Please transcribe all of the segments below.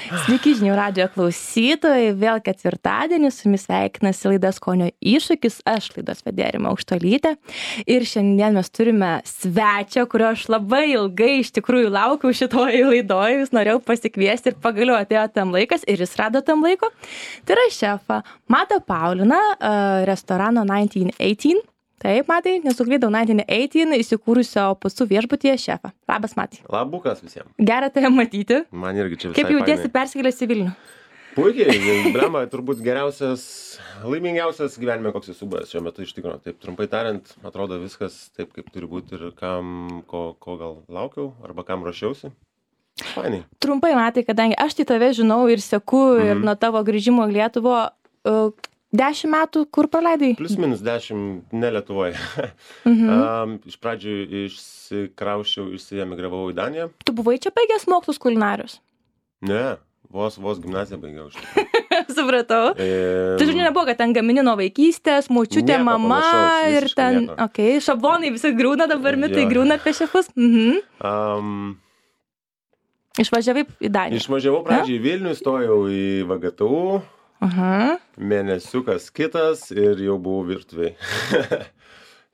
Sveiki žinių radijo klausytojai, vėl ketvirtadienį su jumis sveikinasi laida Skonio iššūkis, aš laidos vedėja Rima Aukštuolytė ir šiandien mes turime svečią, kurio aš labai ilgai iš tikrųjų laukiau šitoje laidoje, vis norėjau pasikviesti ir pagaliau atėjo tam laikas ir jis rado tam laiko. Tai yra šefą Matą Pauliną, restorano 1918. Taip, Matai, nesuklydau 1918 įsikūrusio Pacų viešbutyje šefą. Labas, Matai. Labukas visiems. Gera tave matyti. Man irgi čia visai Kaip jautiesi persikėlęs į Vilnių? Puikiai, blemba, turbūt geriausias, laimingiausias gyvenime, koks esu buvęs šiuo metu iš tikrųjų. Taip trumpai tariant, atrodo viskas taip, kaip turi būti ir kam, ko gal laukiau arba kam ruošiausi. Fainai. Trumpai, Matai, kadangi aš tai tave žinau ir seku ir nuo tavo grįžimo į Lietuvą, 10 metų kur praleidai? Plius minus 10, ne Lietuvoje. Iš pradžių išsikrauščiau, išsiemigravau į Daniją. Tu buvai čia baigęs mokslus kulinarijos? Ne, vos gimnaziją baigiau. Supratau. Tai žinai, nebuvo, kad ten gamini nuo vaikystės, močiutė, Nieko mama panašaus, ir ten, nieko. šablonai visi griūna dabar, mitai Jo. griūna apie šefus. Išvažiavai į Daniją. Išvažiavau pradžiai į Vilnių, stojau į VGTU. Mėnesiukas kitas ir jau buvau virtuvėj.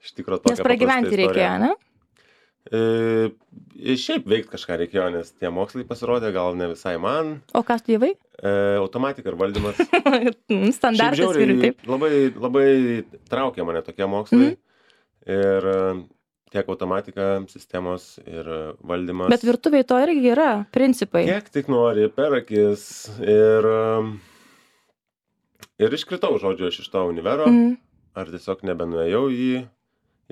Iš tikrųjų tokia Nes pragyventi reikėjo, ne? Šiaip veikti kažką reikėjo, nes tie mokslai pasirodė, gal ne visai man. O ką studijavai? Automatika ir valdymas. Standartas Šiaip vyrių, žiauriai, taip. labai traukė mane tokie mokslai. Ir tiek automatika, sistemos ir valdymas. Bet virtuviai to irgi yra, principai. Kiek tik nori, per akis. Ir iškritau, žodžiu, aš iš to univero, ar tiesiog nebenuėjau į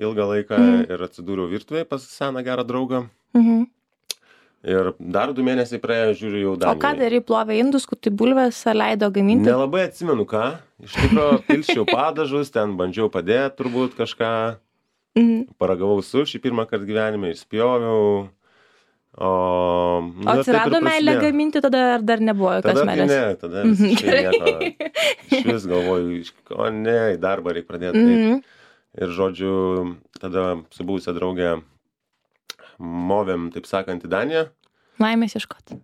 ilgą laiką ir atsidūriau virtuvėje pas seną gerą draugą. Ir dar 2 mėnesiai praėjo, žiūriu jau Danijoje. O ką darai, plovė indus, kur tai bulvės leido gaminti? Nelabai atsimenu ką. Iš tikrųjų, pilsčiau padažus, ten bandžiau padėti turbūt kažką. Paragavau sušį pirmą kartą gyvenime, išspjoviau. O atsirado meilė gaminti tada ar dar nebuvo jokios meilės? Tada visiškai nieko. Iš vis galvoju, o ne, į darbą reikia pradėti. Ir žodžiu, tada su buvusia draugė movėm, taip sakant, į Daniją. Laimės ieškoti.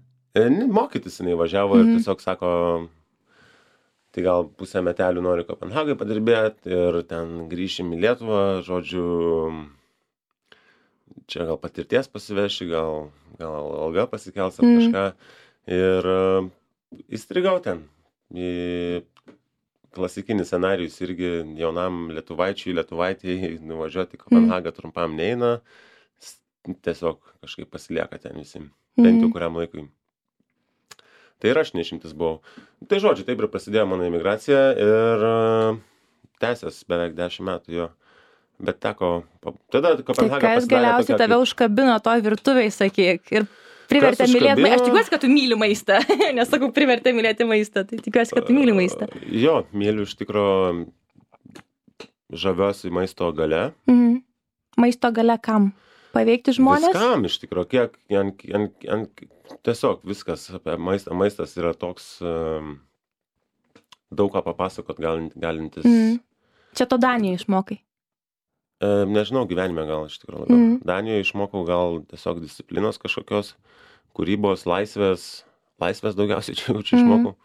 Mokytis jinai važiavo ir tiesiog sako, tai gal pusę metelių nori Kopenhagai padirbėti ir ten grįšim į Lietuvą, žodžiu, čia gal patirties pasiveši, gal alga pasikels ar kažką. Ir įstrigau ten. Klasikinis scenarijus irgi jaunam lietuvaitijai nuvažiuoti į Kopenhagą trumpam neina. Tiesiog kažkaip pasilieka ten visi. Bent jau kuriam laikui. Tai ir aš neišimtis buvau. Tai žodžiu, taip ir prasidėjo mano emigracija ir tęsės beveik 10 metų jo. Bet teko, tada Kopenhaga pasidarė. Tai kas galiausiai tave užkabino toj virtuvėj, sakyk, ir privertė mylėti maistą. Aš tikiuosi, kad tu myli maistą, nesakau, privertė mylėti maistą, tai tikiuosi, kad tu myli maistą. Jo, myliu iš tikro, žaviuosi maisto gale. Maisto gale kam? Paveikti žmonės? Viskam iš tikro, kiek, tiesiog viskas apie maistą. Maistas yra toks daug ką papasakot galintis. Čia to Danijoje išmokai? Nežinau, gyvenime gal iš tikrųjų labiau. Danijoje išmokau gal tiesiog disciplinos kažkokios, kūrybos, laisvės daugiausiai čia išmokau.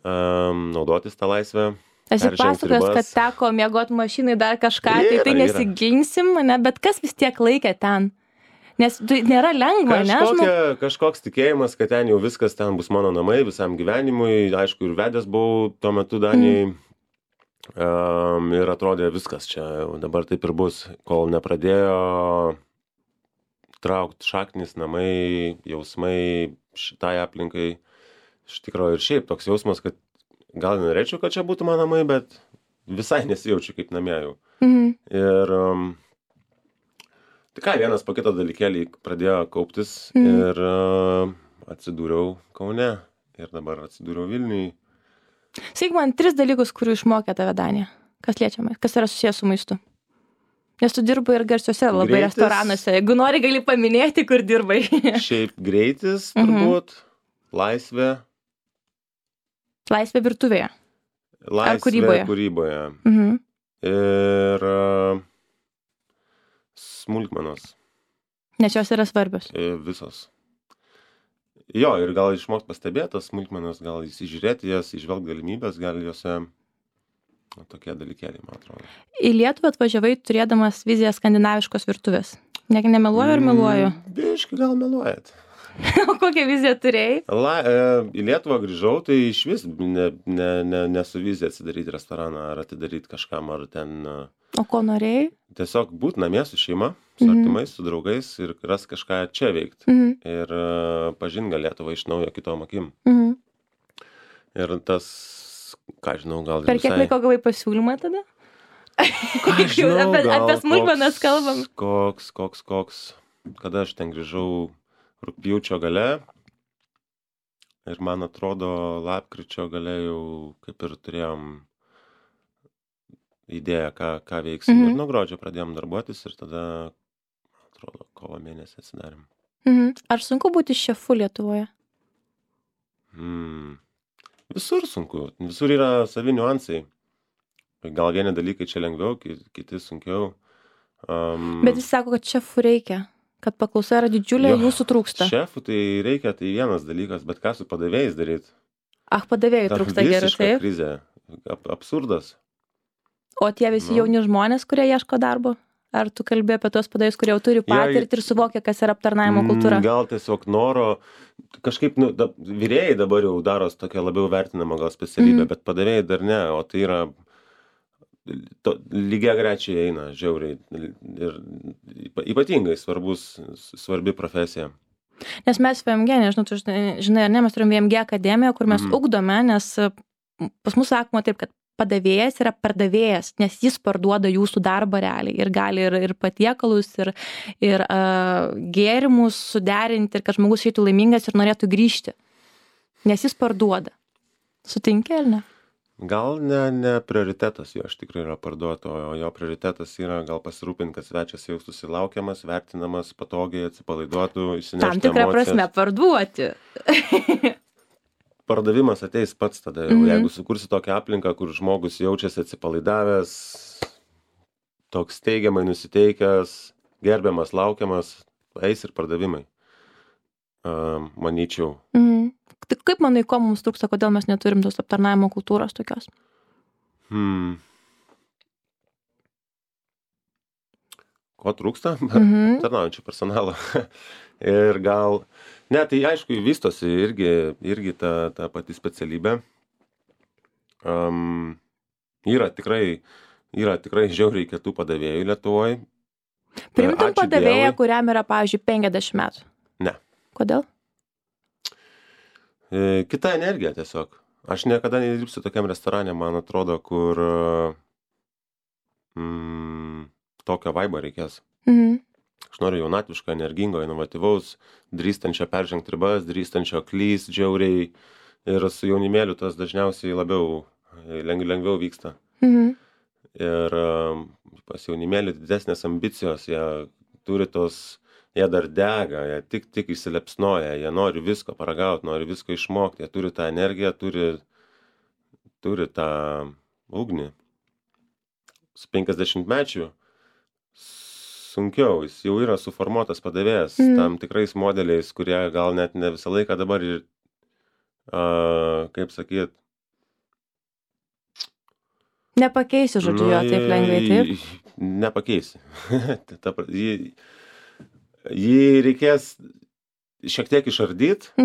Naudotis tą laisvę. Esi pasakojęs, kad teko miegot mašinai dar kažką, tai nesiginsim, ne, bet kas vis tiek laikė ten? Nes tai nėra lengva, ne? Kažkoks tikėjimas, kad ten jau viskas, ten bus mano namai visam gyvenimui. Aišku, ir vedęs buvau tuo metu Danijai. Ir atrodė viskas čia dabar taip ir bus, kol nepradėjo traukti šaknis, namai, jausmai šitai aplinkai. Iš tikrųjų ir šiaip toks jausmas, kad gal norėčiau, kad čia būtų mano namai, bet visai nesijaučiu kaip namie jau. Ir tai ką, vienas po kito dalykėlį pradėjo kauptis ir atsidūriau Kaune ir dabar atsidūriau Vilniui. Sakyk man 3 dalykus, kurių išmokė tave Danija. Kas liečia, kas yra susijęs su maistu? Nes tu dirbai ir garsiuose labai restoranuose. Jeigu nori, gali paminėti, kur dirbai. Šiaip greitis, turbūt, laisvė. Laisvė virtuvėje. Laisvė kūryboje. Ir smulkmenos. Nes jos yra svarbios. Visos. Jo, ir gal išmokt pastebėt tas smulkmenas, gal įsižiūrėti jas, įžvelgt galimybės, gal jose tokie dalykėliai, man atrodo. Į Lietuvą atvažiavai turėdamas viziją skandinaviškos virtuvės. Nemeluoju ar meluoju? Biškai gal meluojat. O kokią viziją turėjai? Į Lietuvą grįžau, tai iš vis ne su vizija atsidaryti restoraną, ar atidaryti kažkam, ar ten... O ko norėjai? Tiesiog būt namie su šeima, su artimais, su draugais ir ras kažką čia veikti. Ir pažint gal Lietuvą iš naujo kitom akim. Ir tas, ką žinau, gal... Per kiek laiko gavai pasiūlymą tada? Apie smulkmenas kalbam. Koks. Kada aš ten grįžau rugpjūčio gale ir man atrodo lapkričio gale jau kaip ir turėjom idėją, ką veiksim. Ir nuo gruodžio pradėjom darbuotis ir tada, man atrodo, kovo mėnesį atsidarėm. Ar sunku būti šefu Lietuvoje? Visur sunku. Visur yra savi niuansai. Gal vieni dalykai čia lengviau, kiti sunkiau. Bet jis sako, kad šefų reikia, kad paklausa yra didžiulė, jūsų trūksta. Šefų tai reikia, tai vienas dalykas, bet ką su padavėjais daryti? Padavėjai trūksta gerai, taip? Krizė. Absurdas. O tie visi jauni žmonės, kurie ieško darbo? Ar tu kalbėjai apie tuos padavėjus, kurie jau turi patirtį ir suvokia, kas yra aptarnavimo kultūra? Gal tiesiog noro, kažkaip, virėjai dabar jau daros tokia labiau vertinama gal specialybė, bet padavėjai dar ne, o tai yra lygiai grečiai eina, žiauriai. Ir ypatingai svarbi profesija. Nes mes VMG, nežinau, tu žinai ar ne, mes turim VMG akademiją, kur mes ugdome, nes pas mus sakoma taip, kad padavėjas yra pardavėjas, nes jis parduoda jūsų darbą realiai ir gali ir patiekalus, ir gėrimus suderinti, ir kad žmogus išeitų laimingas ir norėtų grįžti, nes jis parduoda. Sutinki ar ne? Gal ne prioritetas jo, aš tikrai yra parduoti, o jo prioritetas yra gal pasirūpinti, kad svečias jaustųsi laukiamas, vertinamas, patogiai atsipalaiduotų, išsinešti emocijas. Tam tikrą prasme parduoti. Pardavimas ateis pats tada jau, jeigu sukursi tokią aplinką, kur žmogus jaučiasi atsipalaidavęs, toks teigiamai nusiteikęs, gerbiamas, laukiamas, eis ir pardavimai, manyčiau. Tai kaip manai, ko mums trūksta, kodėl mes neturim tos aptarnavimo kultūros tokios? Ko trūksta? Aptarnaujančio personalo. Ir gal... Ne, tai aišku, vystosi irgi ta pati specialybė. Yra tikrai žiauriai kietų padavėjų Lietuvoje. Priimtum padavėją, kuriam yra, pavyzdžiui, 50 metų? Ne. Kodėl? Kita energija tiesiog. Aš niekada nedirbsiu tokiam restorane, man atrodo, kur tokio vaibo reikės. Aš noriu jaunatviško, energingo, inovatyvaus, drįstančio peržengti ribas, drįstančio klyst žiauriai. Ir su jaunimėliu tas dažniausiai lengviau vyksta. Ir pas jaunimėlį didesnės ambicijos, jie dar dega, jie tik įsilepsnoja, jie nori visko paragauti, nori visko išmokti, jie turi tą energiją, turi tą ugnį. Su 50-mečiu sunkiau, jis jau yra suformuotas padavėjas tam tikrais modeliais, kurie gal net ne visą laiką dabar ir, kaip sakyt... Nepakeisi, žodžiu, jo taip lengvai, taip? Nepakeisi. Jį reikės šiek tiek išardyti,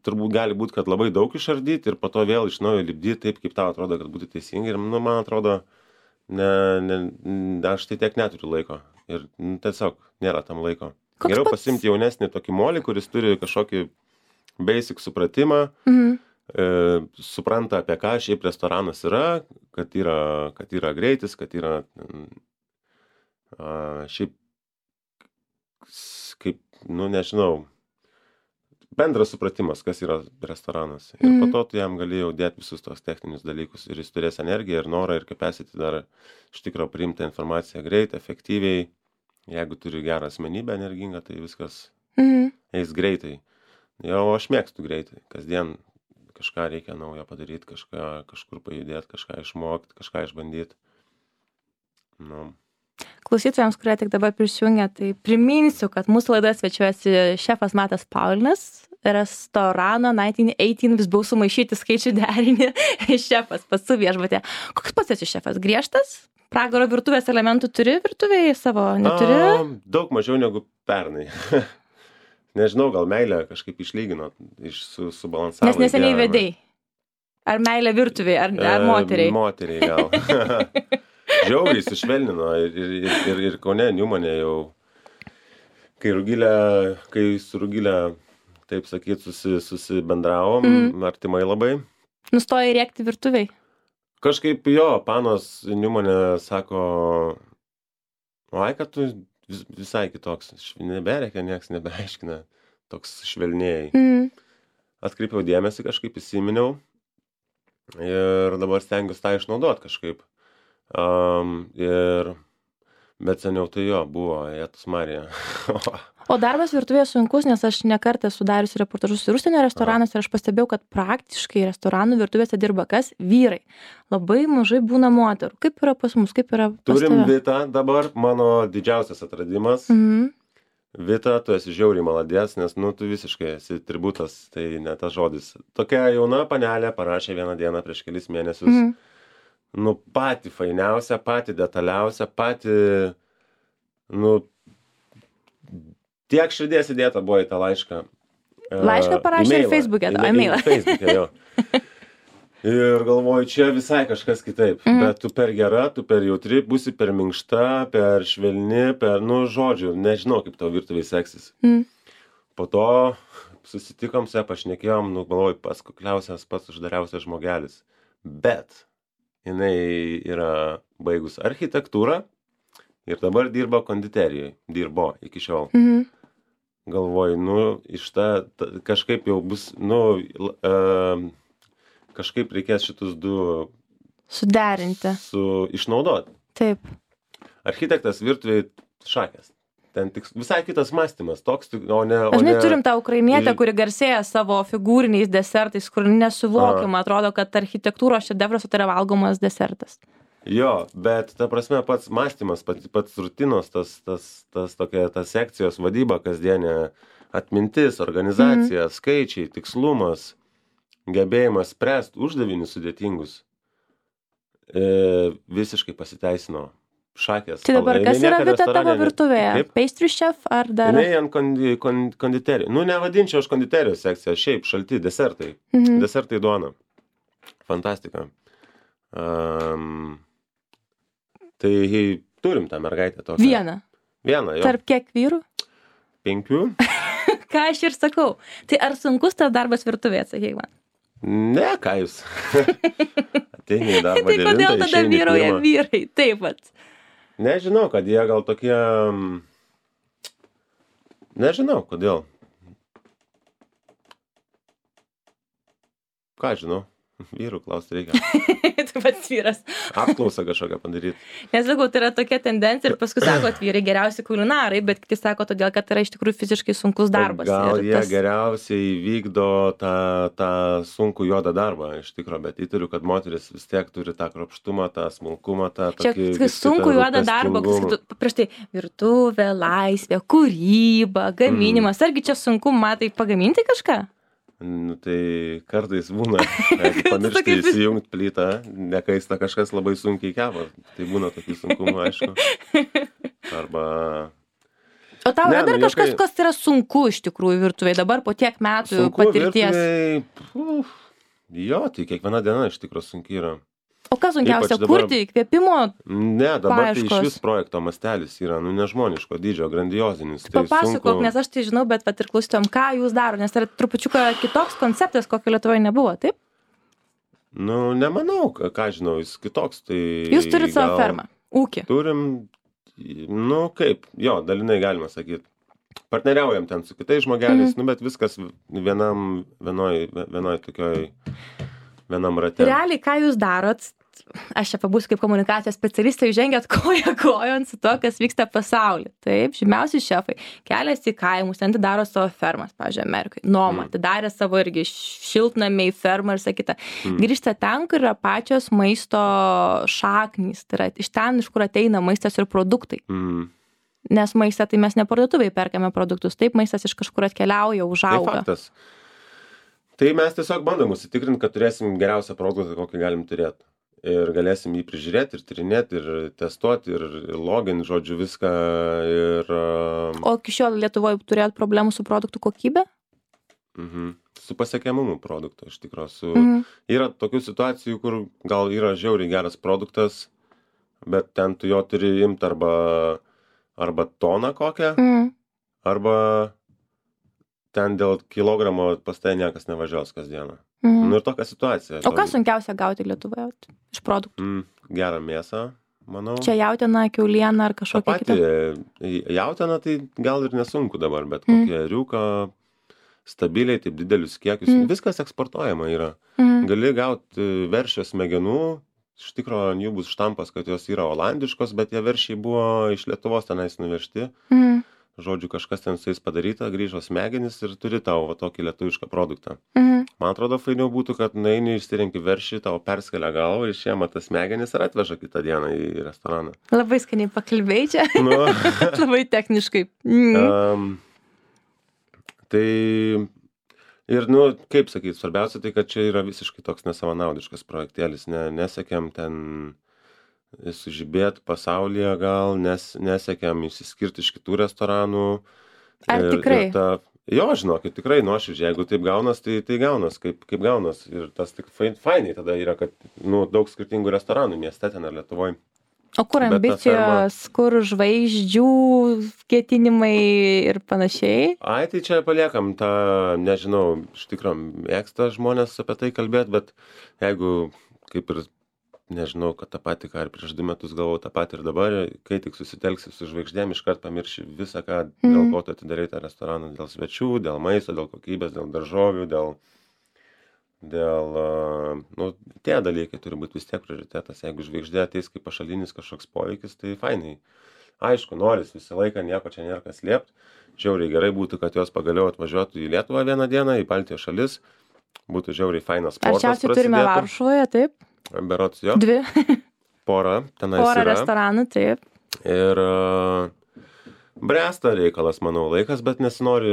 turbūt gali būti, kad labai daug išardyti ir po to vėl iš naujo lipdyti taip, kaip tau atrodo, kad būtų teisingai. Ir, man atrodo, aš tai tiek neturiu laiko. Ir tiesiog nėra tam laiko. Geriau pasimti jaunesnį tokį molį, kuris turi kažkokį basic supratimą, supranta, apie ką šiaip restoranas yra, kad yra greitis, kad yra šiaip kaip, nežinau, bendras supratimas, kas yra restoranas. Ir po to tu jam gali jau dėti visus tos techninius dalykus. Ir jis turės energiją ir norą ir capacity dar iš tikro priimti informaciją greit, efektyviai. Jeigu turi gerą asmenybę energingą, tai viskas eis greitai. Jau aš mėgstu greitai. Kasdien kažką reikia naujo padaryti, kažkur pajudėti, kažką išmokti, kažką išbandyti. Klausytojams, kurie tik dabar prisijungia, tai priminsiu, kad mūsų laidoje svečiuojasi šefas Matas Paulinas, restorano 1918, vis buvau sumaišyti skaičių derinį, šefas pats su viešbutė. Koks pats esi šefas? Griežtas? Pragaro virtuvės elementų turi virtuvėje savo? Neturi? Daug mažiau negu pernai. Nežinau, gal meilę kažkaip išlygino, subalansavo. Nes neseniai vedei. Ar meilė virtuvėje, ar moteriai? Moteriai gal. Žiauriai sušvelnino ir Kaune Niumane jau, kai su Rugilė, taip sakyt, susibendravom, artimai labai. Nustoja rėkti virtuviai? Kažkaip jo, panos Niumane sako, oi, kad tu visai kitoks, neberėkia, nieks nebeaiškina, toks švelnėjai. Atkreipiau dėmesį, kažkaip įsiminiau ir dabar stengiuosi tą išnaudot kažkaip. Bet seniau tai jo buvo, Jėzus Marija. O darbas virtuvėje sunkus, nes aš nekartą esu dariusi reportažus ir užsienio restoranuose ir aš pastebėjau, kad praktiškai restoranų virtuvėse dirba kas? Vyrai. Labai mažai būna moterų. Kaip yra pas mus, kaip yra pas Turim tave? Vitą dabar, mano didžiausias atradimas. Vita, tu esi žiauriai maladės, nes, tu visiškai esi tributas, tai ne tas žodis. Tokia jauna panelė parašė vieną dieną prieš kelis mėnesius. Patį fainiausią, patį detaliausią, patį, tiek širdies įdėta buvo į tą laišką. Laišką parašė ir Facebook'e, e-mailą. Facebook'e, jo. Ir galvoju, čia visai kažkas kitaip. Bet tu per gera, tu per jautri, būsi per minkšta, per švelni, žodžiu, nežinau, kaip tavo virtuviai seksis. Po to susitikom, pašnekėjom, galvoju, pats kukliausias, pats uždariausias žmogelis. Bet jinai yra baigus architektūrą ir dabar dirba konditerijoje. Dirbo iki šiol. Galvoju, iš kažkaip jau bus, kažkaip reikės šitus du suderinti. Išnaudoti. Taip. Architektas virtuviai šakės. Ten visai kitas mąstymas, toks, o ne... Dažnai turim tą ukrainietę, kuri garsėja savo figūriniais desertais, kur nesuvokiama, atrodo, kad architektūros šedevras tai yra valgomas desertas. Jo, bet ta prasme pats mąstymas, pats rutinos, ta sekcijos vadyba kasdienė, atmintis, organizacija, skaičiai, tikslumas, gebėjimas spręsti uždavinius sudėtingus, visiškai pasiteisino. Šakės. Tai dabar kas yra Vita tavo virtuvėje? Pastry chef ar dar? Jinai ant konditerijos. Nevadinčiau aš konditerijos sekciją, šiaip šalti desertai. Desertai duona. Fantastika. Tai turim tą mergaitę tokią. Vieną, jo. Tarp kiek vyrų? 5. Ką aš ir sakau. Tai ar sunkus tas darbas virtuvėje, sakyk man? Ne, ką jūs. Ateini į darbą 9, tai kodėl tada vyrauja vyrai? Taip pat. Nežinau, kad jie gal tokie... Nežinau, kodėl. Ką žinau? Vyrų klausti reikia. Tu pats vyras. Apklausą kažkokią padaryti. Nesakau, tai yra tokia tendencija ir paskui sako, kad vyrai geriausi kulinarai, bet kiti sako todėl, kad tai yra iš tikrųjų fiziškai sunkus darbas. Gal jie geriausiai vykdo tą sunkų juodą darbą, iš tikrųjų, bet įtariu, kad moteris vis tiek turi tą kruopštumą, tą smulkumą, tą tokį... Čia sunkų juodą darbą, prieš tai virtuvė, laisvė, kūryba, gaminimas. Argi čia sunku, matai, pagaminti kažką? Tai kartais būna, jeigu pamiršti įsijungti plytą, nekaista kažkas labai sunkiai kepa, tai būna tokių sunkumų, aišku. Arba... O tau yra dar kažkas, kas yra sunku iš tikrųjų virtuvėje dabar po tiek metų patirties? Jo, tai kiekviena diena iš tikrųjų sunkiai yra. O kas sunkiausia, kurti, įkvėpimo Ne, dabar tai iš vis projekto mastelis yra, nežmoniško dydžio, grandiozinis. Papasakok, nes aš tai žinau, bet ir klausytojom, ką jūs daro, nes tai yra trupučiuką kitoks konceptas, kokio Lietuvoje nebuvo, taip? Nemanau, ką žinau, jis kitoks, tai... Jūs turit savo fermą, ūkį. Turim, dalinai galima sakyti. Partneriaujam ten su kitais žmogeliais, bet viskas vienoj tokioj, vienam rate. Realiai, ką jūs darot, aš čia pabūsiu kaip komunikacijos specialistė, jūs žengėt koja kojon su to, kas vyksta pasaulyje. Taip, žymiausi šefai keliasi į kaimus, ten atidaro savo fermas, pavyzdžiui, Amerikai. Noma, atidarė savo irgi šiltnamiai, fermą ir sakytą. Grįžta ten, kur yra pačios maisto šaknys, tai yra iš ten, iš kur ateina maistas ir produktai. Nes maistą tai mes ne parduotuvėje perkame produktus, taip maistas iš kažkur atkeliauja, užauga. Tai faktas. Tai mes tiesiog bandom užsitikrinti, kad turėsim geriausią produktą, kokį galim turėti. Ir galėsim jį prižiūrėti, ir tyrinėti, ir testuoti, ir login, žodžiu, viską. O iki šiol Lietuvoje turėjot problemų su produktų kokybė? Su pasiekiamumu produkto, iš tikrųjų. Yra tokių situacijų, kur gal yra žiauriai geras produktas, bet ten tu jo turi imti arba toną kokią, arba ten dėl kilogramo pas tai niekas nevažiuos kasdieną. Nu ir tokia situacija. O ką sunkiausia gauti Lietuvoje iš produktų? Gerą mėsą, manau. Čia jautiena, kiauliena ar kažkokia kita? Jautiena tai gal ir nesunku dabar, bet kokie riuka, stabiliai, taip didelius kiekius, viskas eksportuojama yra. Gali gauti veršio smegenų, iš tikrųjų ant jų bus štampas, kad jos yra olandiškos, bet tie veršiai buvo iš Lietuvos tenais nuvežti. Žodžiu, kažkas ten su jais padaryta, grįžo smegenis ir turi tau tokį lietuvišką produktą. Man atrodo, fainiau būtų, kad nueini, išsirenki veršį, tau perskelia galvą, išėma tas smegenis ir atveža kitą dieną į restoraną. Labai skaniai pakalbėjai čia. Labai techniškai. Tai ir, kaip sakyti, svarbiausia tai, kad čia yra visiškai toks nesavanaudiškas projektėlis. Nesekiam ten sužibėt pasaulyje gal, nesekiam išsiskirti iš kitų restoranų. Ar tikrai? Jo, žinokit, tikrai nuoširdžiai, jeigu taip gaunas, tai gaunas, kaip gaunas. Ir tas tik fainiai tada yra, kad daug skirtingų restoranų mieste ten ar Lietuvoje. O kur ambicijos, kur žvaigždžių ketinimai ir panašiai? Ai, tai čia paliekam tą, nežinau, iš tikrųjų mėgsta žmonės apie tai kalbėti, bet jeigu kaip ir nežinau, kad tą patį, ką ir prieš 2 metus galvojau, tą patį ir dabar, kai tik susitelksi su žvaigždėm, iškart pamirši visą, ką, dėl ko tu atidarai tą restoraną, dėl svečių, dėl maisto, dėl kokybės, dėl daržovių, tie dalykai turi būti vis tiek prioritetas. Jeigu žvaigždė ateis kaip pašalinis kažkoks poveikis, tai fainai. Aišku, noris visą laiką, nieko čia nėra kas slėpti. Žiauriai gerai būtų, kad jos pagaliau atvažiuotų į Lietuvą vieną dieną, į Baltijos šalis. Būtų žiauriai fainas sportas. Arčiausiai turime Varšuvoje, taip? Berods jo. 2. Porą tenais yra. Porą restoranų, taip. Ir bręsta reikalas, manau, laikas, bet nesinori,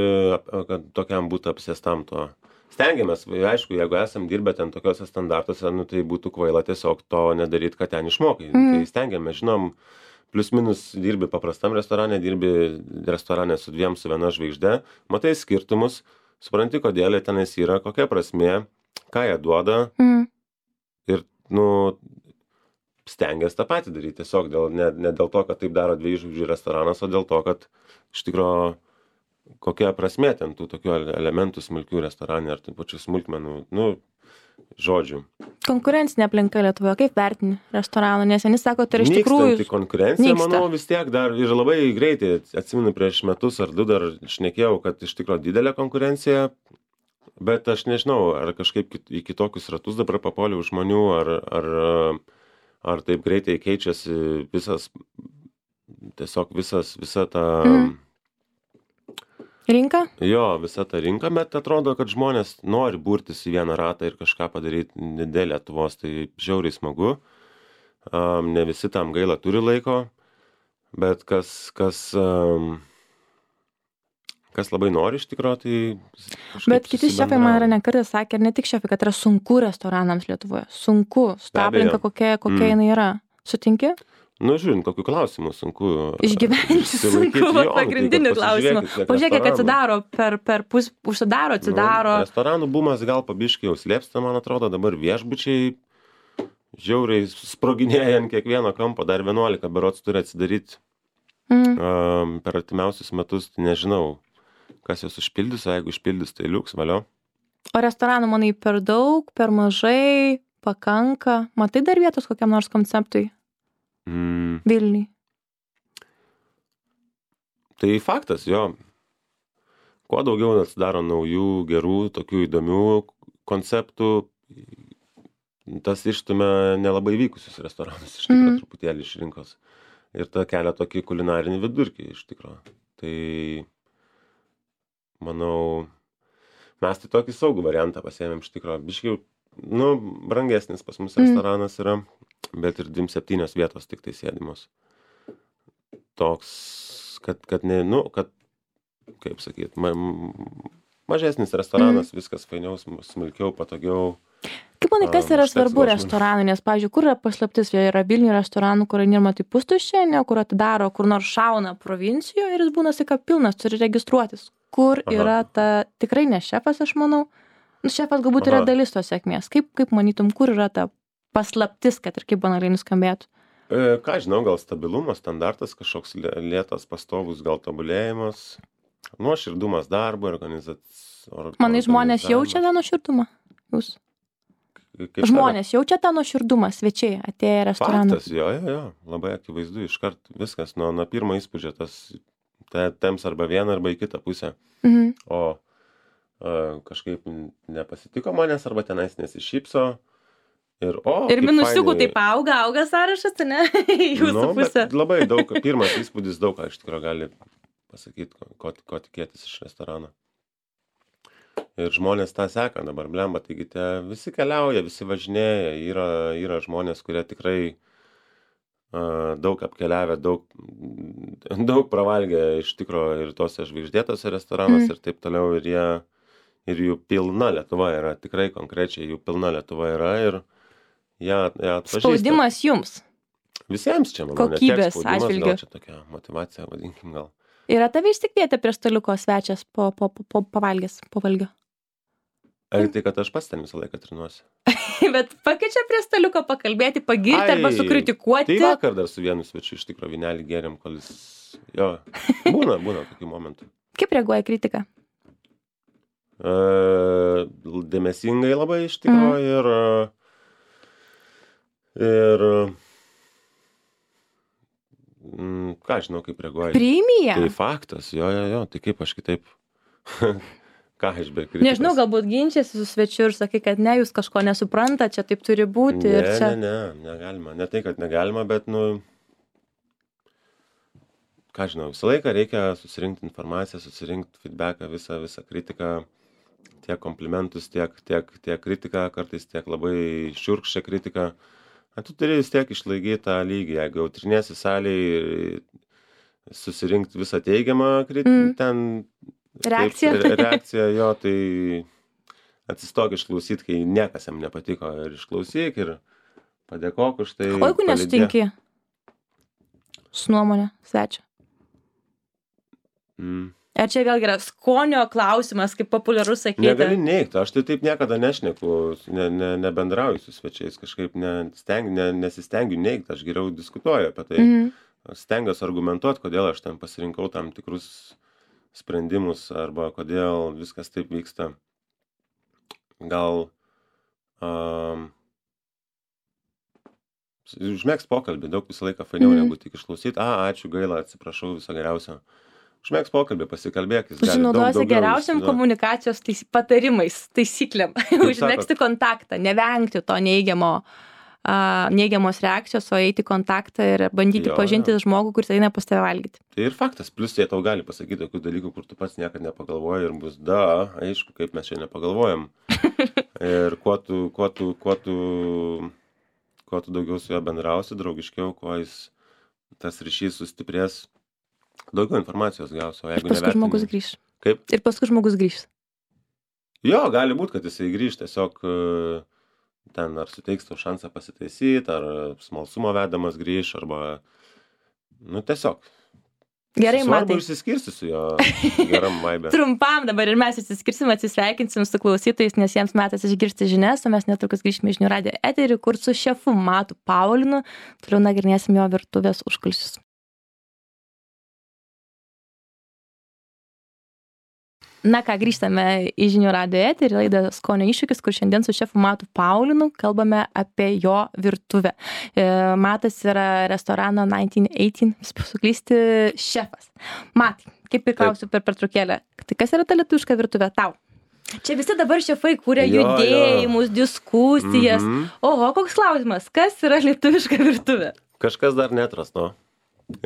kad tokiam būtų apsėstam to. Stengiamės, aišku, jeigu esam dirbę ten tokiuose standartuose, tai būtų kvaila tiesiog to nedaryti, kad ten išmokai. Tai stengiamės, žinom, plius minus dirbi paprastam restorane, dirbi restorane su 2, su 1 žvaigžde, matai skirtumus, supranti, kodėl jie tenais yra, kokia prasmė, ką jie duoda. Ir, stengiasi tą patį daryti, tiesiog ne dėl to, kad taip daro 2 žvaigždžių restoranas, o dėl to, kad iš tikrųjų kokia prasmė ten tų tokių elementų smulkių restorane ar taip pačių smulkmenų, žodžių. Konkurencinė aplinka Lietuvoje, kaip vertini restoraną, nes vieni sako, tai iš tikrųjų nykstanti konkurencija, manau, vis tiek dar ir labai greitai, atsimenu, prieš metus ar 2 dar šnekėjau, kad iš tikrųjų didelė konkurencija, bet aš nežinau, ar kažkaip į kitokius ratus dabar papuoliau žmonių, ar taip greitai keičiasi visa ta rinka? Jo, visa ta rinka, bet atrodo, kad žmonės nori burtis į vieną ratą ir kažką padaryti dėl Lietuvos, tai žiauriai smagu. Ne visi tam gaila turi laiko, bet kas labai nori iš tikrųjų, tai... Bet kiti šefai man yra nekartą sakę, ir ne tik šefai, kad yra sunku restoranams Lietuvoje. Sunku, su ta aplinka, kokia jinai yra. Sutinki? Žiūrint, kokiu klausimu sunku. Išgyventi sunku, pagrindinių klausimų. Pažiūrėk, kad atsidaro, užsidaro, atsidaro. Restoranų bumas gal pabiškai jau slėpsta, man atrodo, dabar viešbučiai žiauriai sproginėja ant kiekvieno kampo, dar 11 berods turi atsidaryti per artimiausius metus, tai nežinau, kas jos užpildys, o jeigu užpildys, tai liuks, valio. O restoranų, manai, per daug, per mažai, pakanka? Matai dar vietos kokiam nors konceptui? Vilniui. Tai faktas, jo. Kuo daugiau atsidaro naujų, gerų, tokių įdomių konceptų, tas išstumia nelabai vykusius restoranus iš tikro truputėlį iš rinkos. Ir ta kelia tokį kulinarinį vidurkį iš tikro. Tai, manau, mes tai tokį saugų variantą pasiėmėm iš tikro. Biškiai, brangesnis pas mus restoranas yra, bet ir 27 vietos tik tai sėdimos. Toks, kad kaip sakyt, mažesnis restoranas, viskas fainiau, smulkiau, patogiau. Kaip manai, kas yra svarbu restoranui, nes, pavyzdžiui, kur yra paslaptis, jie yra Vilniuje restoranų, kur nėra tai pustuščia, ne, kur atidaro, kur nors šauna provincijoje ir jis būna sika pilnas, turi registruotis. Kur yra ta, tikrai ne šefas, aš manau, šefas galbūt yra dalis tos sėkmės. Kaip manytum, kur yra ta paslaptis, kad ir kaip banaliai nuskambėtų? Ką žinau, gal stabilumas, standartas, kažkoks lėtas, pastovus, gal tobulėjimas, nuoširdumas darbo, organizavimas. Manai, žmonės jaučia tą nuoširdumą? Jūs? Žmonės jaučia tą nuoširdumą, svečiai atėję į restoraną? Faktas, jo, labai akivaizdu, iškart viskas, nuo pirmo įspūdžio tas temps arba vieną, arba į kitą pusę. O kažkaip nepasitiko manęs, arba tenais nesišypso. Ir minusiukų taip auga sąrašas, ne? Jūsų pusė. Labai daug, pirmas įspūdis daug, ką iš tikrųjų gali pasakyti, ko tikėtis iš restorano. Ir žmonės tą seka dabar, blemba, taigi visi keliauja, visi važinėja, yra žmonės, kurie tikrai daug apkeliavę, daug pravalgę iš tikrųjų ir tose žvaigždėtose restoranuose ir taip toliau, ir jų pilna Lietuva yra, tikrai konkrečiai jų pilna Lietuva yra ir jie atpažįsta. Spaudimas jums? Visiems čia, manau, kokybės atžvilgiu. Gal čia tokia motyvacija, vadinkim gal. Yra tave išsikvietę prie staliuko svečias po valgio? Ar tai, kad aš pats ten visą laiką trinuosi? Bet pakeičia prie staliuko pakalbėti, pagirti arba sukritikuoti? Tai vakar dar su vienu svečiu iš tikro vynelį gėrėm, kol jis... Jo, būna tokių momentų. Kaip reaguoja kritika? Dėmesingai labai iš tikro ir ką žinau, kaip reaguoja. Priimi ją? Tai faktas, jo, tai kaip aš kitaip, ką aš be kritikos. Nežinau, galbūt ginčiasi su svečiu ir sakai, kad ne, jūs kažko nesupranta, čia taip turi būti. Ne, negalima. Ne tai, kad negalima, bet, ką žinau, visą laiką reikia susirinkti informaciją, susirinkti feedbacką, visą kritiką, tiek komplimentus, tiek kritiką, kartais tiek labai šiurkščią kritiką. Tu turi vis tiek išlaikyti tą lygį, jeigu jau triniesi salėj, susirinkti visą teigiamą ten reakciją jo, tai atsistok išklausyti, kai niekas jam nepatiko, ir išklausyk, ir padėkok už tai. O jeigu nesutinki su nuomonė svečio? Ar čia vėlgi yra skonio klausimas, kaip populiarus sakyti? Negali neigti, aš tai taip niekada nešneku, nebendrauju su svečiais, kažkaip nesistengiu neigti, aš geriau diskutuoju apie tai. Stengiuosi argumentuoti, kodėl aš ten pasirinkau tam tikrus sprendimus, arba kodėl viskas taip vyksta. Gal užmėgs pokalbį, daug visą laiką fainiau negu tik išklausyti. Ačiū, gaila, atsiprašau, viso geriausio. Užmėgs pokalbį, pasikalbėk, jis gali daug daugiau. Naudosi geriausiam komunikacijos patarimais, taisyklėm. Užmėgsti kontaktą, nevengti to neigiamos reakcijos, o eiti į kontaktą ir bandyti pažinti žmogų, kuris eina pas tave valgyti. Tai ir faktas, plus jie tau gali pasakyti tokių dalykų, kur tu pats niekad nepagalvoji ir bus, aišku, kaip mes čia nepagalvojam. Ir kuo tu daugiau su juo bendrausi, draugiškiau, kuo tas ryšys sustiprės, daugiau informacijos gaus, o jeigu nevertini. Paskui žmogus grįš. Kaip? Ir paskui žmogus grįš. Jo, gali būti, kad jisai grįž, tiesiog ten ar suteiks tau šansą pasitaisyti, ar smalsumo vedamas grįž, arba, tiesiog. Gerai, Matai. Svarbu išsiskirsti su jo geram vaibė. Trumpam dabar ir mes išsiskirsim, atsisveikinsim su klausytojais, nes jiems metas išgirsti žinias, o mes netrukus grįžime į žinių radijo eterį, kur su šefu Matu Paulinu toliau nagrinėsim jo virtuvės užkulisius. Na ką, grįžtame į žinių radijo eterį, laidą Skonio iššūkis, kur šiandien su šefu Matu Paulinu kalbame apie jo virtuvę. Matas yra restorano 1918, suklysti, šefas. Matai, kaip ir klausiu per pertraukėlę, tai kas yra ta lietuviška virtuvė tau? Čia visi dabar šefai kūrė Jo, judėjimus, diskusijas. Oho, koks klausimas, kas yra lietuviška virtuvė? Kažkas dar neatrasto.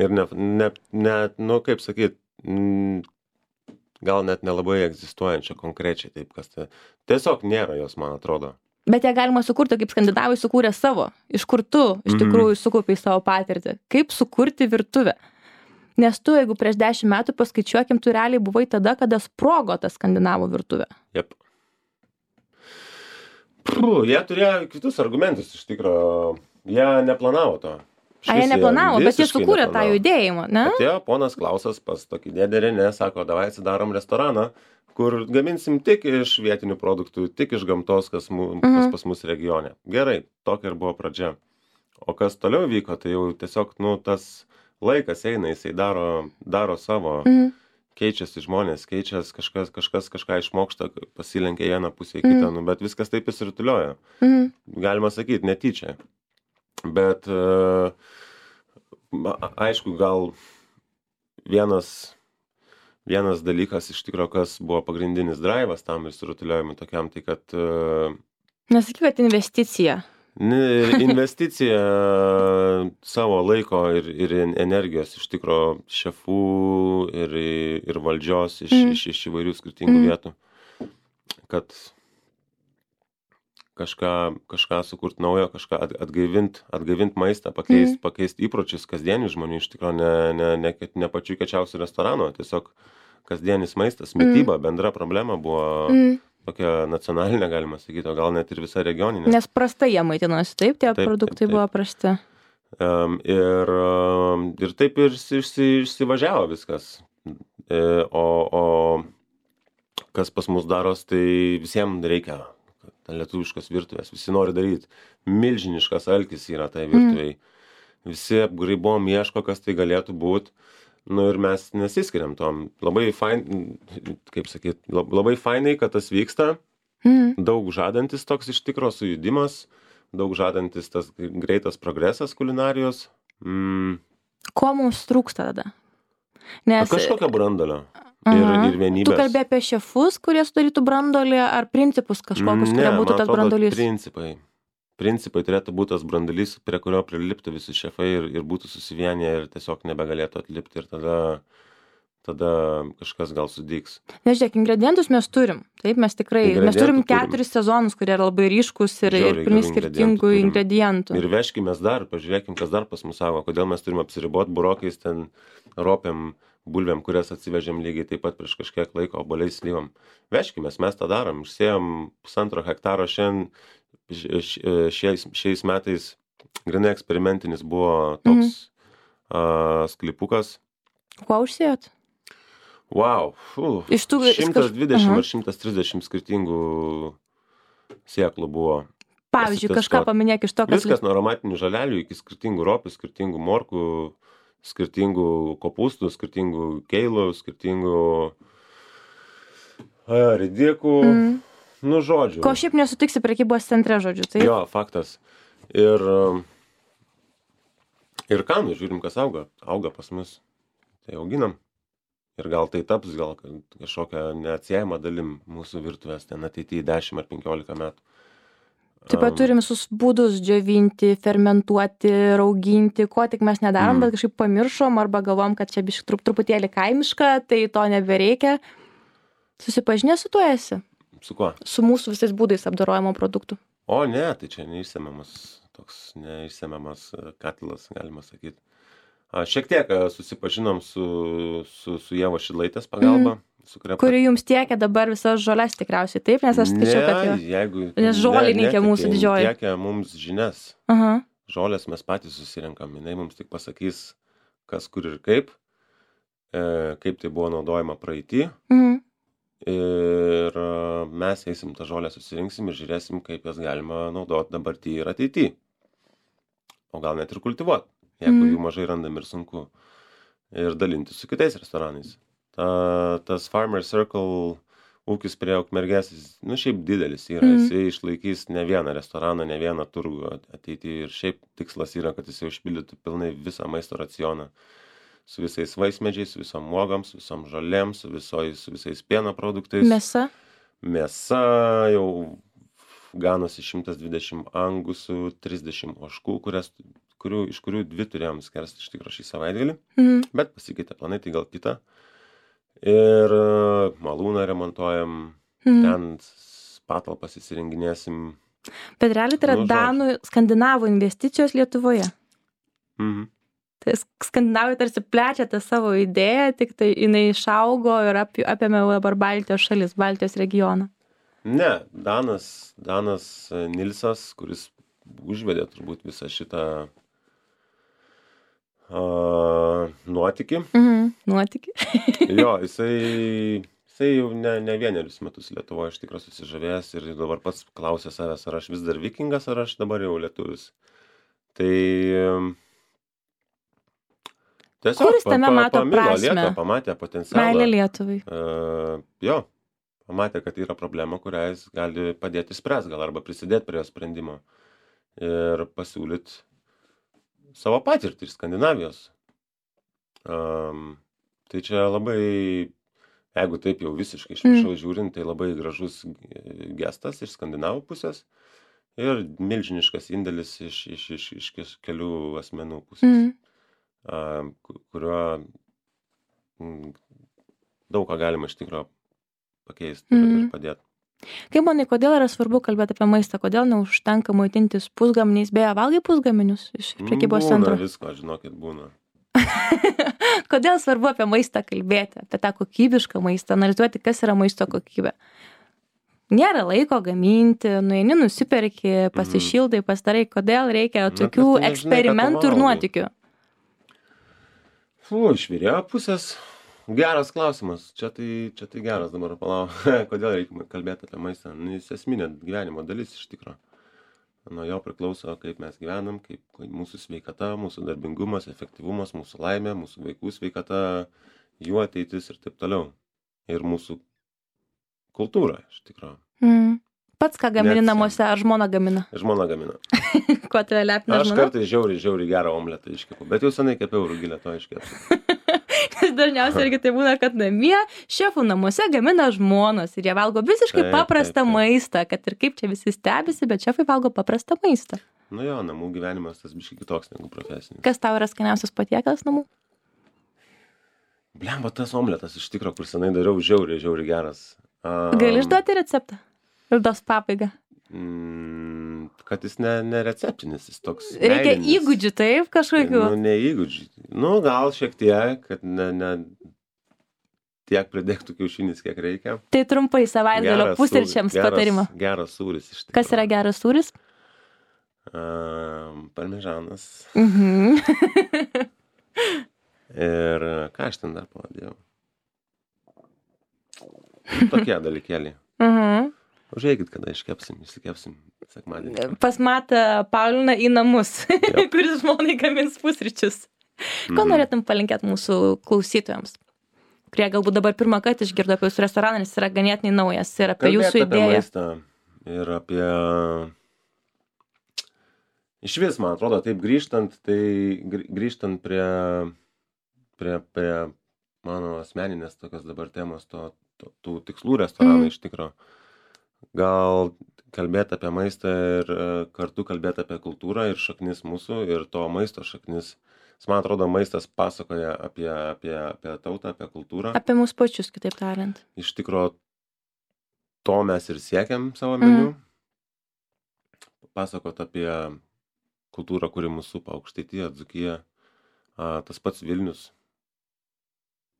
Ir kaip sakyt, gal net nelabai egzistuojančia konkrečiai taip, kas tai. Tiesiog nėra jos, man atrodo. Bet ją galima sukurti, kaip skandinavai sukūrė savo. Iš kur tu iš tikrųjų sukaupiai savo patirtį. Kaip sukurti virtuvę? Nes tu, jeigu prieš 10 metų paskaičiuokim, tu realiai buvai tada, kada sprogo ta skandinavų virtuvė. Jep. Jie turėjo kitus argumentus, iš tikro. Jie neplanavo to. Jie neplanavo, bet jie sukūrė tą judėjimą, ne? Atėjo ponas Klausas pas tokį dėdę Renė, sako, davai atsidarom restoraną, kur gaminsim tik iš vietinių produktų, tik iš gamtos, kas pas mus regione. Gerai, tokia ir buvo pradžia. O kas toliau vyko, tai jau tiesiog, tas laikas eina, jisai daro savo, keičiasi žmonės, kažkas kažką išmoksta, pasilenkia vieną pusę į kitą, bet viskas taip įsirutulioja. Galima sakyti, netyčia. Bet, aišku, gal vienas dalykas iš tikro, kas buvo pagrindinis drivas tam įsirutuliojimui tokiam, tai kad... Nesakyk, kad investicija. Investicija savo laiko ir energijos iš tikro šefų ir valdžios iš įvairių skirtingų vietų, kad kažką sukurt naujo, kažką atgaivint maistą, pakeist įpročius kasdienių žmonių, iš tikro ne pačių kečiausių restoranų, tiesiog kasdienis maistas, mityba, bendra problema buvo tokia nacionalinė, galima sakyti, o gal net ir visa regioninė. Nes prastai jie maitinosi, taip, tie produktai buvo prasti. Ir taip ir išsivažiavo viskas. O kas pas mus daros, tai visiems reikia lietuviškos virtuvės, visi nori daryti. Milžiniškas alkis yra tai virtuviai. Visi apgraibom ieško, kas tai galėtų būti. Ir mes nesiskiriam tom. Labai fainai, kad tas vyksta. Daug žadantis toks iš tikro sujudimas, daug žadantis tas greitas progresas kulinarijos. Ko mums trūksta tada? Kažkokio brandolio. Ir vienybės. Tu kalbė apie šefus, kurie sudarytų brandolį, ar principus kažkokius, kurie būtų tas brandolys? Principai turėtų būti tas brandolys, prie kurio priliptų visi šefai ir būtų susivienyje ir tiesiog nebegalėtų atlipti ir tada kažkas gal sudygs. Nežiūrėk, ingredientus mes turim. Taip, mes turim 4 sezonus, kurie yra labai ryškus ir pilni skirtingų ingredientų. Ir veškimės dar, pažiūrėkim, kas dar pas mus savo, kodėl mes turim apsiriboti burokais, ten ropėm, bulvėm, kurias atsivežėm lygiai taip pat prieš kažkiek laiko, oboliais slyvom. Veškimės, mes tą darom, išsėjom 1,5 hektaro šiais metais, grinai eksperimentinis buvo toks sklypukas. Kuo užsėjot? Wow, 120 ar 130 skirtingų sėklų buvo. Pavyzdžiui, kažką paminėk iš to, kas... Viskas nuo aromatinių žalelių iki skirtingų ropių, skirtingų morkų, skirtingų kopūstų, skirtingų keilų, skirtingų ridikų, žodžių. Ko šiaip nesutiksi prekybos centre, žodžiu, tai? Jo, faktas. Ir ką, žiūrim, kas auga. Auga pas mus. Tai auginam. Ir gal tai taps, gal kažkokią neatsiejamą dalim mūsų virtuvės ten ateityje 10 ar 15 metų. Taip pat turim visus būdus džiovinti, fermentuoti, rauginti, ko tik mes nedarom, bet kažkaip pamiršom arba galvom, kad čia biškai truputėlį kaimiška, tai to nebereikia. Susipažinę su tuo esi? Su kuo? Su mūsų visais būdais apdorojimo produktų. O ne, tai čia neišsemiamas katilas, galima sakyti. Šiek tiek susipažinom su Ievos Šidlaitės pagalba. Kuri jums tiekia dabar visas žoles tikriausiai, taip? Nes aš skaičiau, kad nes žolininkė mūsų didžioji. Tiekia mums žinias. Žolės mes patys susirinkam. Jinai mums tik pasakys, kas kur ir kaip tai buvo naudojama praeitį. Ir mes eisim tą žolę susirinksim ir žiūrėsim, kaip jas galima naudoti dabartį ir ateitį. O gal net ir kultivuoti, jeigu jų mažai randam ir sunku. Ir dalinti su kitais restoranais. Tas Farmer Circle ūkis prie Ukmergės, šiaip didelis yra. Jisai išlaikys ne vieną restoraną, ne vieną turgų ateityje. Ir šiaip tikslas yra, kad jisai užpildytų pilnai visą maisto racioną. Su visais vaismedžiais, su visom uogams, su visom žolėm, su visais pieno produktais. Mėsa? mėsa jau ganosi 120 angusų, 30 ožkų, iš kurių 2 turėjom skersti iš tikro šį savaitgalį, bet pasikeitė planai, tai gal kitą. Ir malūną remontuojam, ten patalpas įsirenginėsim. Bet realiai tai yra danų, skandinavų investicijos Lietuvoje. Tai skandinavai tarsi plečia tą savo idėją, tik tai jinai išaugo ir apėmė dabar Baltijos šalis, Baltijos regioną. Ne, Danas Nilsas, kuris užvedė turbūt visą šitą nuotykį. Nuotykį. Jo, jisai jau ne vienerius metus Lietuvoje iš tikrųjų susižavėjęs ir dabar pats klausė savęs, ar aš vis dar vikingas, ar aš dabar jau lietuvis. Tai tiesiog Kuris tame mato prasmę? Lietuvą, pamatė potencialą. Meilė Lietuvai. Jo, pamatė, kad yra problema, kurią jis gali padėti spręs, gal arba prisidėti prie jo sprendimo ir pasiūlyti savo patirtį iš Skandinavijos. Tai čia labai, jeigu taip jau visiškai iš viršaus žiūrint, tai labai gražus gestas iš skandinavų pusės ir milžiniškas indėlis iš kelių asmenų pusės, kuriuo daug ką galima iš tikrųjų pakeisti ir padėti. Kaip manai, kodėl yra svarbu kalbėti apie maistą? Kodėl neužtenka maitintis pusgaminiais? Beje, valgai pusgaminius iš prekybos centro? Būna visko, žinokit, būna. Kodėl svarbu apie maistą kalbėti, apie tą kokybišką maistą, analizuoti, kas yra maisto kokybė? Nėra laiko gaminti, nueini, nusiperki, pasišildai, pasidarai, kodėl reikia tokių eksperimentų ir nuotykių? Iš vyrėjo pusės. Geras klausimas. Čia tai geras dabar palauk. Kodėl reikia kalbėti apie maistą? Jis esminė gyvenimo dalis iš tikro. Nuo jo priklauso, kaip mes gyvenam, kaip mūsų sveikata, mūsų darbingumas, efektyvumas, mūsų laimė, mūsų vaikų sveikata, jų ateitis ir taip toliau. Ir mūsų kultūra iš tikro. Pats ką gamini namuose, ar žmona gamina? Žmona gamina. Kuo tave lepina žmona? Aš kartais žiauriai gerą omletą iškepu, bet jau senai kepiau rugilę to iškepsiu. Dažniausiai irgi tai būna, kad namie šefų namuose gamina žmonos ir jie valgo visiškai paprastą maistą, kad ir kaip čia visi stebisi, bet šefai valgo paprastą maistą. Nu jo, namų gyvenimas tas biškai kitoks negu profesinis. Kas tau yra skaniausias patiekalas namų? Blemba, tas omletas iš tikro, kur senai dariau, žiauriai geras. Gali išduoti receptą? Laidos pabaigą. Kad jis ne receptinis, jis toks Reikia meilinis. įgūdžių, taip, kažkokių? Nu, ne įgūdžių. Nu, gal šiek tiek, kad ne tiek pridėktų kiaušinis, kiek reikia. Tai trumpai savaitgalio pusryčiams patarimą. Geras sūris iš tikrųjų. Kas yra geras sūris? Parmežanas. Ir ką aš ten dar pavadėjau? Tokie dalykėliai. Užeikit, kada išsikepsim sekmadienį. Pas Matą Pauliną į namus, kuris žmonai gamins pusryčius. Ko norėtum palinkėti mūsų klausytojams, kurie galbūt dabar pirmą kartą išgirdo apie jūsų restoraną, nes yra ganėtinai naujas ir apie jūsų idėją. Apie maistą ir apie... Iš vis, man atrodo, taip grįžtant prie mano asmeninės tokios dabar temos, tų tikslų restoranų iš tikro. Gal kalbėti apie maistą ir kartu kalbėti apie kultūrą ir šaknis mūsų ir to maisto šaknis. Man atrodo, maistas pasakoja apie tautą, apie kultūrą. Apie mūsų pačius, kitaip tariant. Iš tikro, to mes ir siekiam savo meniu. Pasakot apie kultūrą, kuri mūsų supa, Aukštaitija, Dzūkija, tas pats Vilnius.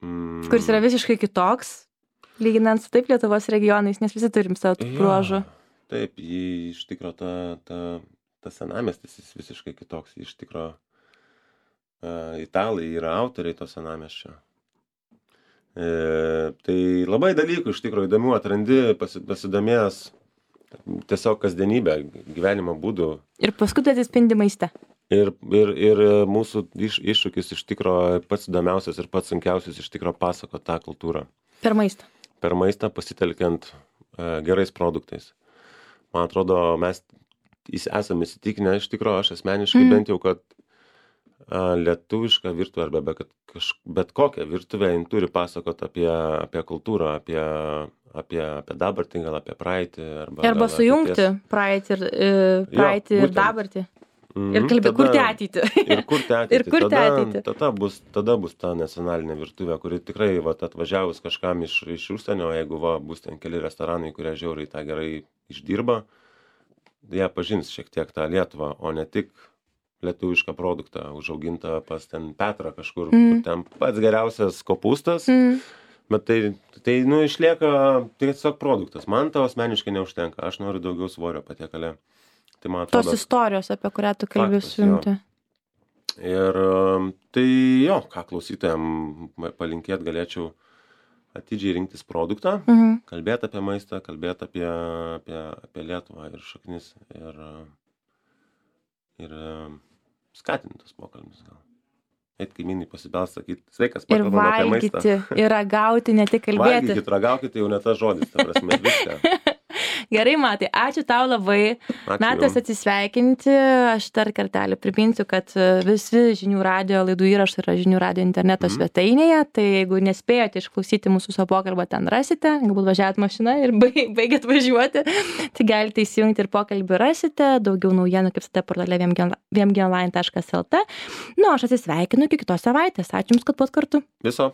Kuris yra visiškai kitoks. Lyginant su taip Lietuvos regionais, nes visi turim savo tų bruožų. Taip, iš tikro ta senamiestis jis visiškai kitoks. Iš tikro italai yra autoriai to senamiesčio. Tai labai dalykų iš tikro įdomių atrandi, pasidomėjęs tiesiog kasdienybę, gyvenimo būdų. Ir paskui tai atsispindi maiste. Ir mūsų iššūkis iš tikro pats įdomiausias ir pats sunkiausias iš tikro pasakot tą kultūrą. Per maistą. Per maistą pasitelkiant gerais produktais. Man atrodo, mes esame įsitikinę iš tikro, aš asmeniškai bent jau, kad Lietuviška virtuvė arba bet kokia virtuvė, jin turi pasakot apie kultūrą, apie dabartį, gal apie praeitį. Arba sujungti praeitį ir dabartį. Ir kurti ateitį. Ir kurti ateitį. Tada bus ta nacionalinė virtuvė, kuri tikrai atvažiavus kažkam iš užsienio, jeigu bus ten keli restoranai, kurie žiauriai tą gerai išdirba, jie pažins šiek tiek tą Lietuvą, o ne tik lietuvišką produktą, užaugintą pas ten Petrą kažkur, kur ten pats geriausias kopūstas, bet tai išlieka tiesiog produktas. Man to asmeniškai neužtenka, aš noriu daugiau svorio patiekale. Tai man atrodo, tos istorijos, apie kurią tu kalbi, sujungti. Ir tai ką klausytojam palinkėt galėčiau atidžiai rinktis produktą, kalbėti apie maistą, kalbėti apie Lietuvą ir šaknis ir skatinti tos pokalbius gal. Eit kaimynai pasibels, sakyti, sveikas, pakalbam apie maistą. Ir valgyti, ir ragauti, ne tik kalbėti. Valgykit, ragaukite, jau ne tas žodis, ta prasme, viską. Gerai, Matai, ačiū tau labai. Metas atsisveikinti. Aš dar kartelį priminsiu, kad visi žinių radijo laidų įrašai yra žinių radijo interneto svetainėje. Tai jeigu nespėjote išklausyti mūsų savo pokalbio, ten rasite. Galbūt važiavot mašiną ir baigėt važiuoti. Tai galite įsijungti ir pokalbį rasite. Daugiau naujienų kaip visada portale vmgonline.lt. Aš atsisveikinu iki kitos savaitės. Ačiū Jums, kad buvot kartu. Viso.